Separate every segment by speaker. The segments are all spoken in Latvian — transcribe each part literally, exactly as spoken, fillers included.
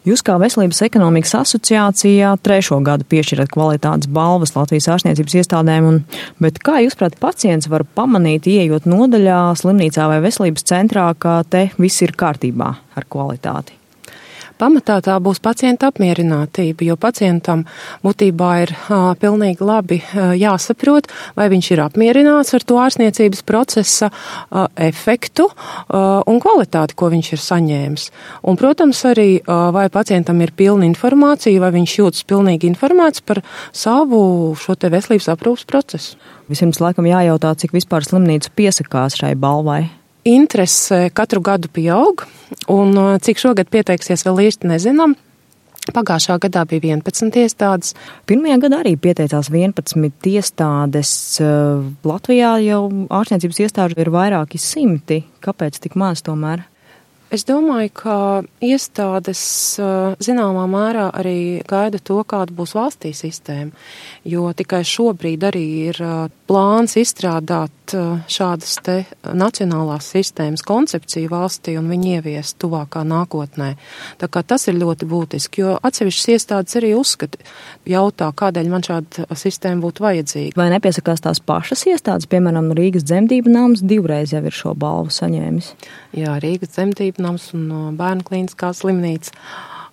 Speaker 1: Jūs kā Veselības ekonomikas asociācijā trešo gadu piešķirat kvalitātes balvas Latvijas ārstniecības iestādēm, un, bet kā jūs, prāt, pacients var pamanīt, ieejot nodaļā, slimnīcā vai veselības centrā, ka te viss ir kārtībā ar kvalitāti?
Speaker 2: Pamatā tā būs pacienta apmierinātība, jo pacientam būtībā ir uh, pilnīgi labi uh, jāsaprot, vai viņš ir apmierināts ar to ārstniecības procesa uh, efektu uh, un kvalitāti, ko viņš ir saņēmis. Un, protams, arī uh, vai pacientam ir pilna informācija, vai viņš jūtas pilnīgi informēts par savu šo te veselības aprūpas procesu.
Speaker 1: Vispirms laikam jājautā, cik vispār slimnīca piesakās šai balvai.
Speaker 2: Interese katru gadu pieaug, un cik šogad pieteiksies vēl īsti nezinām. Pagājušā gadā bija vienpadsmit iestādes.
Speaker 1: Pirmajā gadā arī pieteicās vienpadsmit iestādes. Latvijā jau ārstniecības iestāžu ir vairāki simti. Kāpēc tik maz tomēr?
Speaker 2: Es domāju, ka iestādes zināmā mērā arī gaida to, kāda būs valstī sistēma, jo tikai šobrīd arī ir plāns izstrādāt šādas te nacionālās sistēmas koncepciju valstī un viņi ieviest tuvākā nākotnē. Tā kā tas ir ļoti būtiski, jo atsevišķas iestādes arī uzskata, jautā, kādēļ man šāda sistēma būtu vajadzīga.
Speaker 1: Vai nepiesakās tās pašas iestādes, piemēram, Rīgas dzemdību nams divreiz jau ir šo balvu saņēmis?
Speaker 2: Jā, Rīgas dzemdību nams un Bērnu klīniskā slimnīca.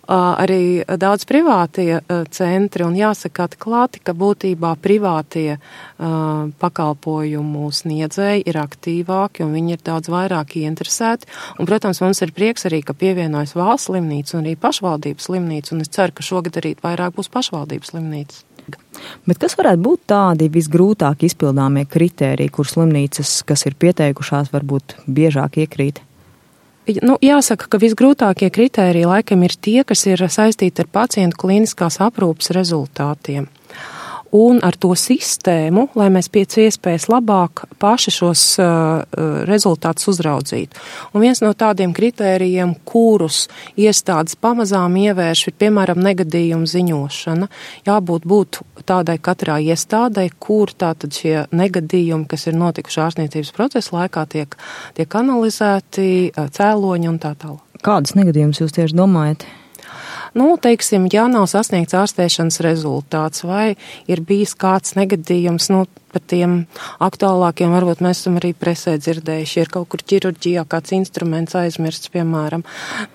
Speaker 2: Arī daudz privātie centri, un jāsaka atklāti, ka būtībā privātie pakalpojumu sniedzēji ir aktīvāki un viņi ir daudz vairāk ieinteresēti. Un, protams, mums ir prieks arī, ka pievienojas valsts slimnīca un arī pašvaldības slimnīca, un es ceru, ka šogad arī vairāk būs pašvaldības slimnīcas.
Speaker 1: Bet kas varētu būt tādi visgrūtāk izpildāmie kritēriji, kur slimnīcas, kas ir pieteikušās, varbūt biežāk iekrīt?
Speaker 2: Nu, jāsaka, ka visgrūtākie kritēriji laikam ir tie, kas ir saistīti ar pacientu klīniskās aprūpes rezultātiem. Un ar to sistēmu, lai mēs pēc iespējas labāk paši šos uh, rezultātus uzraudzītu. Un viens no tādiem kritērijiem, kurus iestādes pamazām ievērš, ir piemēram negadījuma ziņošana. Jābūt būt tādai katrā iestādē, kur tātad šie negadījumi, kas ir notikuši ārstniecības procesa laikā, tiek, tiek analizēti, cēloņi un tā tālāk.
Speaker 1: Kādas negadījumus jūs tieši domājat?
Speaker 2: Nu, teiksim, ja nav sasniegts ārstēšanas rezultāts vai ir bijis kāds negadījums, nu, par tiem aktuālākiem varbūt mēs esam arī presē dzirdējuši, ir kaut kur ķirurģijā kāds instruments aizmirsts, piemēram,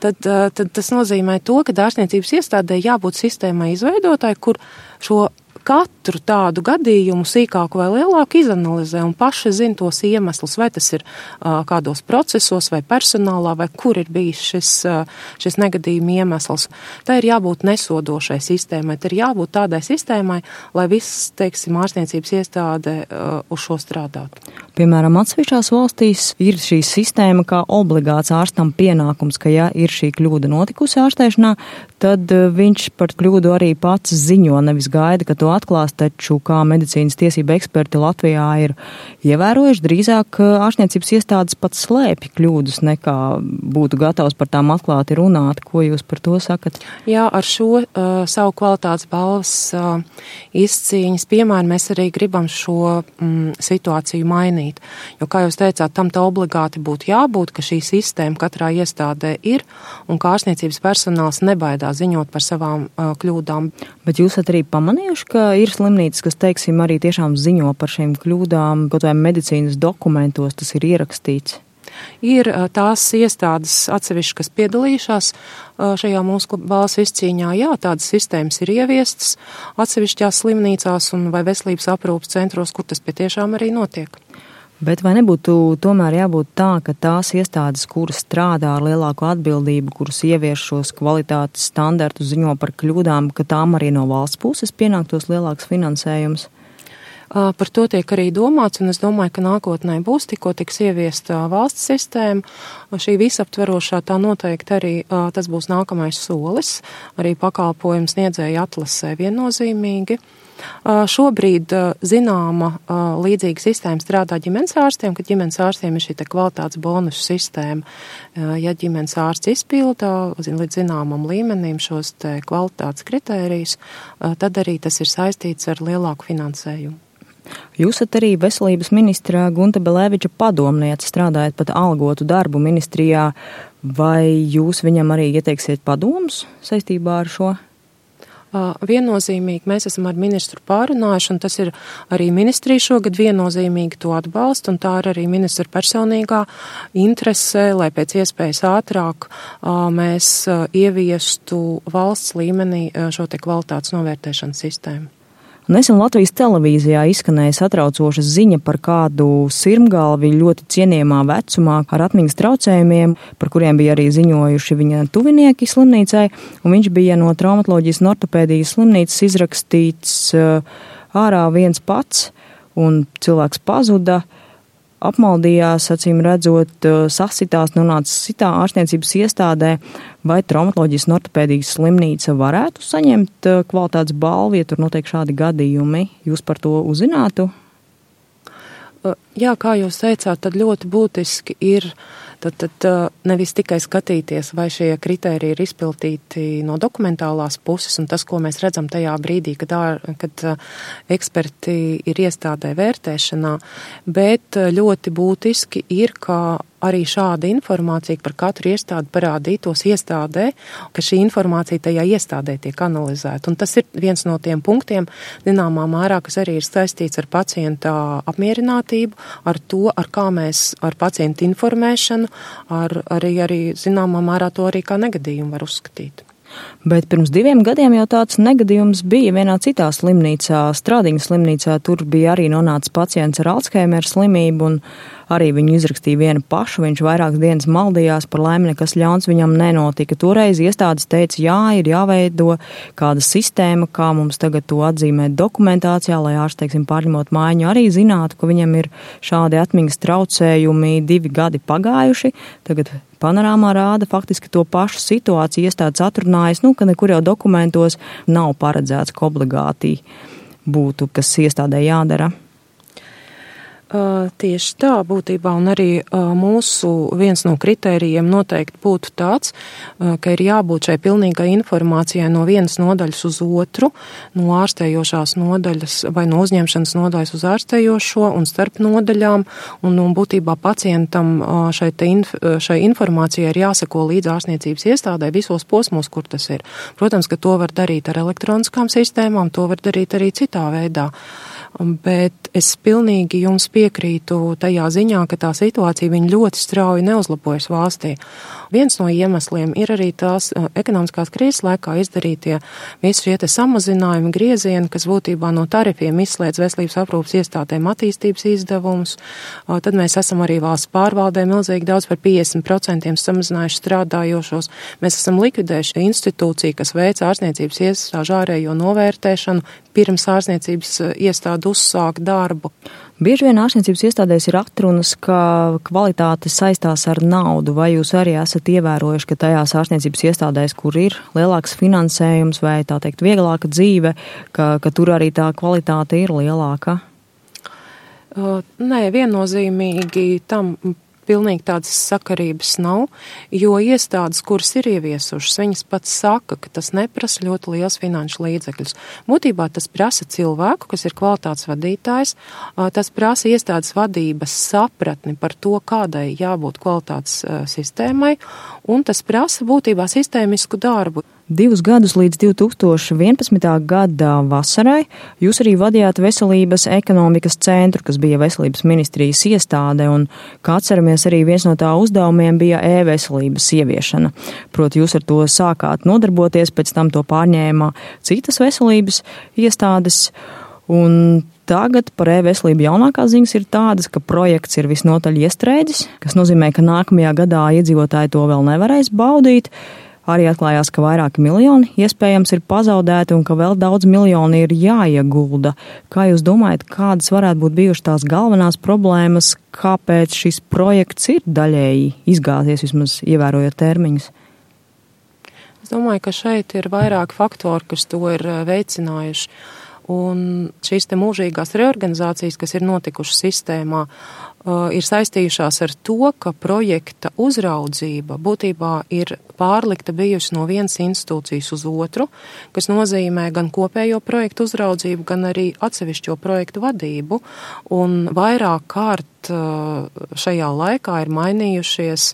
Speaker 2: tad, tad tas nozīmē to, ka ārstniecības iestādē jābūt sistēmai izveidotāji, kur šo katru tādu gadījumu sīkāku vai lielāku izanalizē un paši zina tos iemeslus, vai tas ir uh, kādos procesos vai personālā, vai kur ir bijis šis, uh, šis negadījuma iemesls. Tā ir jābūt nesodošai sistēmai, tā ir jābūt tādai sistēmai, lai viss, teiksim, ārstniecības iestāde uh, uz šo strādātu.
Speaker 1: Piemēram, atsevišķās valstīs ir šī sistēma kā obligāts ārstam pienākums, ka ja ir šī kļūda notikusi ārstēšanā, tad viņš par kļūdu arī pats ziņo, nevis gaida, ka to atklās, taču kā medicīnas tiesība eksperti Latvijā ir ievērojuši, drīzāk ārstniecības iestādes pat slēpj kļūdas, nekā būtu gatavs par tām atklāti runāt. Ko jūs par to sakat?
Speaker 2: Jā, ar šo uh, savu kvalitātes balvas uh, izcīņas piemēru mēs arī gribam šo mm, situāciju mainīt. Jo, kā jūs teicāt, tam tā obligāti būtu jābūt, ka šī sistēma katrā iestādē ir un ka ārstniecības personāls nebaidās ziņot par savām uh, kļūdām.
Speaker 1: Bet jūs esat arī pamanījuši, ka ir slimnīcas, kas, teiksim, arī tiešām ziņo par šīm kļūdām, kaut vai medicīnas dokumentos tas ir ierakstīts?
Speaker 2: Ir tās iestādes atsevišķi, kas piedalījušās šajā mūsu balvas izcīņā. Jā, tādas sistēmas ir ieviestas atsevišķās slimnīcās un vai veselības aprūpas centros, kur tas patiešām arī notiek.
Speaker 1: Bet vai nebūtu tomēr jābūt tā, ka tās iestādes, kuras strādā ar lielāku atbildību, kuras ievieš šos kvalitātes standartus, ziņo par kļūdām, ka tām arī no valsts puses pienāktos lielāks finansējums?
Speaker 2: Par to tiek arī domāts, un es domāju, ka nākotnē būs tikko tiks ieviesta valsts sistēma. Šī visaptverošā tā noteikti arī tas būs nākamais solis, arī pakalpojumu sniedzēju atlasē viennozīmīgi. Šobrīd zināma līdzīga sistēma strādā ģimenes ārstiem, kad ģimenes ārstiem ir šī te kvalitātes bonusu sistēma. Ja ģimenes ārsts izpilda līdz zināmam līmenim šos te kvalitātes kritērijus, tad arī tas ir saistīts ar lielāku finansējumu.
Speaker 1: Jūs esat arī veselības ministra Gunta Beleviča padomniece, strādājat pat algotu darbu ministrijā. Vai jūs viņam arī ieteiksiet padomus saistībā ar šo?
Speaker 2: Viennozīmīgi mēs esam ar ministru pārunājuši, un tas ir arī ministrija šogad viennozīmīgi to atbalsta, un tā ir arī ministra personīgā interese, lai pēc iespējas ātrāk mēs ieviestu valsts līmenī šo te kvalitātes novērtēšanas sistēmu.
Speaker 1: Nesen Latvijas televīzijā izskanēja satraucoša ziņa par kādu sirmgalvi ļoti cienījamā vecumā ar atmiņas traucējumiem, par kuriem bija arī ziņojuši viņa tuvinieki slimnīcai, un viņš bija no traumatoloģijas un ortopēdijas slimnīcas izrakstīts ārā viens pats, un cilvēks pazuda, apmaldījās, acīm redzot, sasitās, nonāca citā ārstniecības iestādē. Vai traumatoloģijas un ortopēdijas slimnīca varētu saņemt kvalitātes balvu, ja tur notiek šādi gadījumi? Jūs par to uzzinātu?
Speaker 2: Jā, kā jūs teicāt, tad ļoti būtiski ir tad, tad nevis tikai skatīties, vai šie kritēriji ir izpildīti no dokumentālās puses, un tas, ko mēs redzam tajā brīdī, kad, ār, kad eksperti ir iestādē vērtēšanā, bet ļoti būtiski ir, ka arī šāda informācija par katru iestādi parādītos iestādē, ka šī informācija tajā iestādē tiek analizēta. Un tas ir viens no tiem punktiem, zināmā mērā, kas arī ir saistīts ar pacienta apmierinātību, ar to, ar kā mēs ar pacientu informēšanu, ar, arī, arī zināmā mērā to arī kā negadījumu var uzskatīt.
Speaker 1: Bet pirms diviem gadiem jau tāds negadījums bija vienā citā slimnīcā, Strādiņas slimnīcā. Tur bija arī nonācis pacients ar Alzheimera slimību, un arī viņu izrakstīja vienu pašu. Viņš vairākas dienas maldījās, par laimi nekas ļauns viņam nenotika. Toreiz iestādes teica, jā, ir jāveido kāda sistēma, kā mums tagad to atzīmēt dokumentācijā, lai ārsts, teiksim, pārņemot mājiņu, arī zinātu, ka viņam ir šādi atmiņas traucējumi, divi gadi pagājuši. Tagad panorāmā rāda faktiski to pašu situāciju, iestādes atrunājas, nu, ka nekur jau dokumentos nav paredzēts, ka obligāti būtu, kas iestādē jādara.
Speaker 2: Uh, tieši tā būtībā, un arī uh, mūsu viens no kritērijiem noteikti būtu tāds, uh, ka ir jābūt šai pilnīgai informācijai no vienas nodaļas uz otru, no ārstējošās nodaļas vai no uzņemšanas nodaļas uz ārstējošo un starp nodaļām, un, un būtībā pacientam uh, šai, te inf, šai informācijai ir jāseko līdz ārstniecības iestādē visos posmos, kur tas ir. Protams, ka to var darīt ar elektroniskām sistēmām, to var darīt arī citā veidā. Bet es pilnīgi jums piekrītu tajā ziņā, ka tā situācija viņa ļoti strauji neuzlabojas valstī. Viens no iemesliem ir arī tās ekonomiskās krīzes laikā izdarītie visi šie te samazinājumi, griezieni, kas būtībā no tarifiem izslēdz veselības aprūpas iestādēm attīstības izdevumus. Tad mēs esam arī valsts pārvaldē milzīgi daudz par piecdesmit procentiem samazinājuši strādājošos. Mēs esam likvidējuši institūciju, kas veic ārstniecības iestāžu ārējo novērtēšanu pirms ārstniecības iestāde uzsāk darbu.
Speaker 1: Bieži vien ārstniecības iestādēs ir atrunas, ka kvalitāte saistās ar naudu. Vai jūs arī esat ievērojuši, ka tajās ārstniecības iestādēs, kur ir lielāks finansējums vai tā teikt vieglāka dzīve, ka, ka tur arī tā kvalitāte ir lielāka?
Speaker 2: Uh, nē, viennozīmīgi tam pilnīgi tādas sakarības nav, jo iestādes, kuras ir ieviesušas, viņas pats saka, ka tas neprasa ļoti liels finanšu līdzekļus. Būtībā tas prasa cilvēku, kas ir kvalitātes vadītājs, tas prasa iestādes vadības sapratni par to, kādai jābūt kvalitātes sistēmai, un tas prasa būtībā sistēmisku darbu.
Speaker 1: Divus gadus līdz divi tūkstoši vienpadsmitā gada vasarai jūs arī vadījāt Veselības ekonomikas centru, kas bija Veselības ministrijas iestāde, un, kā atceramies, arī viens no tā uzdevumiem bija e-veselības ieviešana. Proti, jūs ar to sākāt nodarboties, pēc tam to pārņēma citas veselības iestādes, un tagad par e-veselību jaunākās ziņas ir tādas, ka projekts ir visnotaļ iestrēdzis, kas nozīmē, ka nākamajā gadā iedzīvotāji to vēl nevarēs baudīt. Arī atklājās, ka vairāki miljoni iespējams ir pazaudēti un ka vēl daudz miljoni ir jāiegulda. Kā jūs domājat, kādas varētu būt bijušas tās galvenās problēmas, kāpēc šis projekts ir daļēji izgāzies, vismaz ievērojot termiņus?
Speaker 2: Es domāju, ka šeit ir vairāki faktori, kas to ir veicinājuši. Un šīs te mūžīgās reorganizācijas, kas ir notikušas sistēmā, ir saistījušās ar to, ka projekta uzraudzība būtībā ir pārlikta bijusi no vienas institūcijas uz otru, kas nozīmē gan kopējo projektu uzraudzību, gan arī atsevišķo projektu vadību. Un vairāk kārt šajā laikā ir mainījušies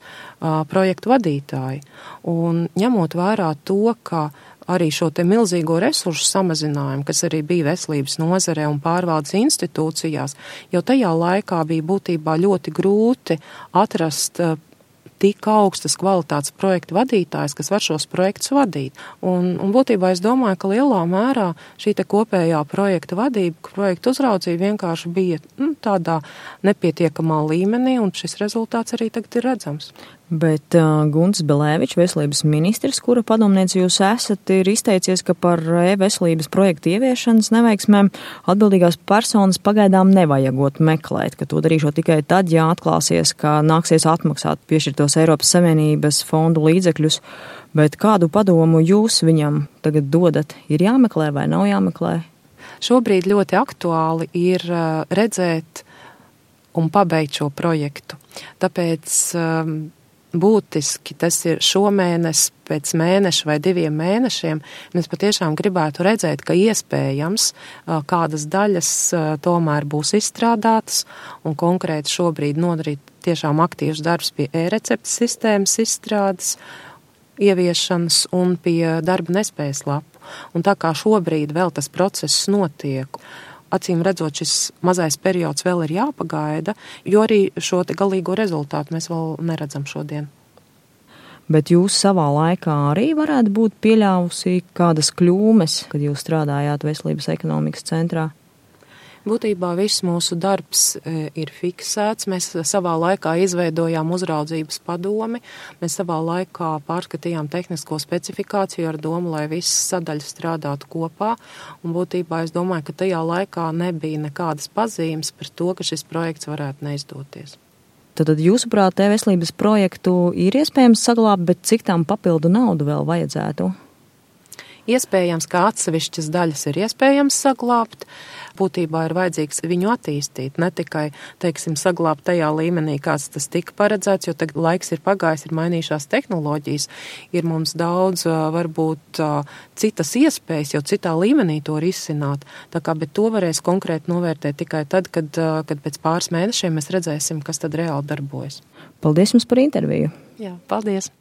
Speaker 2: projektu vadītāji. Un ņemot vērā to, ka arī šo te milzīgo resursu samazinājumu, kas arī bija veselības nozarē un pārvaldes institūcijās, jau tajā laikā bija būtībā ļoti grūti atrast tik augstas kvalitātes projektu vadītājs, kas var šos projektus vadīt. Un, un būtībā es domāju, ka lielā mērā šī te kopējā projekta vadība, projektu uzraudzība vienkārši bija nu, tādā nepietiekamā līmenī, un šis rezultāts arī tagad ir redzams.
Speaker 1: Bet uh, Gunts Belēvičs, veselības ministrs, kura padomniece jūs esat, ir izteicies, ka par e-veselības projektu ieviešanas neveiksmēm atbildīgās personas pagaidām nevajagot meklēt, ka to darīšot tikai tad, ja atklāsies, ka nāksies atmaksāt piešķirtos Eiropas Savienības fondu līdzekļus. Bet kādu padomu jūs viņam tagad dodat? Ir jāmeklē vai nav jāmeklē?
Speaker 2: Šobrīd ļoti aktuāli ir uh, redzēt un pabeigt šo projektu. Tāpēc um, būtiski tas ir šomēnes, pēc mēneša vai diviem mēnešiem. Mēs patiešām gribētu redzēt, ka iespējams kādas daļas tomēr būs izstrādātas un konkrēti šobrīd nodarīt tiešām aktīvs darbs pie e-receptes sistēmas izstrādes, ieviešanas un pie darba nespējas lapu. Un tā kā šobrīd vēl tas process notiek, acīm redzot, šis mazais periods vēl ir jāpagaida, jo arī šo te galīgo rezultātu mēs vēl neredzam šodien.
Speaker 1: Bet jūs savā laikā arī varētu būt pieļāvusi kādas kļūmes, kad jūs strādājāt Veselības ekonomikas centrā?
Speaker 2: Būtībā viss mūsu darbs ir fiksēts. Mēs savā laikā izveidojām uzraudzības padomi. Mēs savā laikā pārskatījām tehnisko specifikāciju ar domu, lai visas sadaļas strādātu kopā. Un būtībā es domāju, ka tajā laikā nebija nekādas pazīmes par to, ka šis projekts varētu neizdoties.
Speaker 1: Tad jūsuprāt, e-veselības projektu ir iespējams saglābt, bet cik tām papildu naudu vēl vajadzētu?
Speaker 2: Iespējams, ka atsevišķas daļas ir iespējams saglābt. Būtībā ir vajadzīgs viņu attīstīt, ne tikai, teiksim, saglābt tajā līmenī, kāds tas tika paredzēts, jo tagad laiks ir pagājis, ir mainījušās tehnoloģijas, ir mums daudz, varbūt, citas iespējas, jau citā līmenī to risināt. Tā kā, bet to varēs konkrēti novērtēt tikai tad, kad, kad pēc pāris mēnešiem mēs redzēsim, kas tad reāli darbojas.
Speaker 1: Paldies jums par interviju.
Speaker 2: Jā, paldies.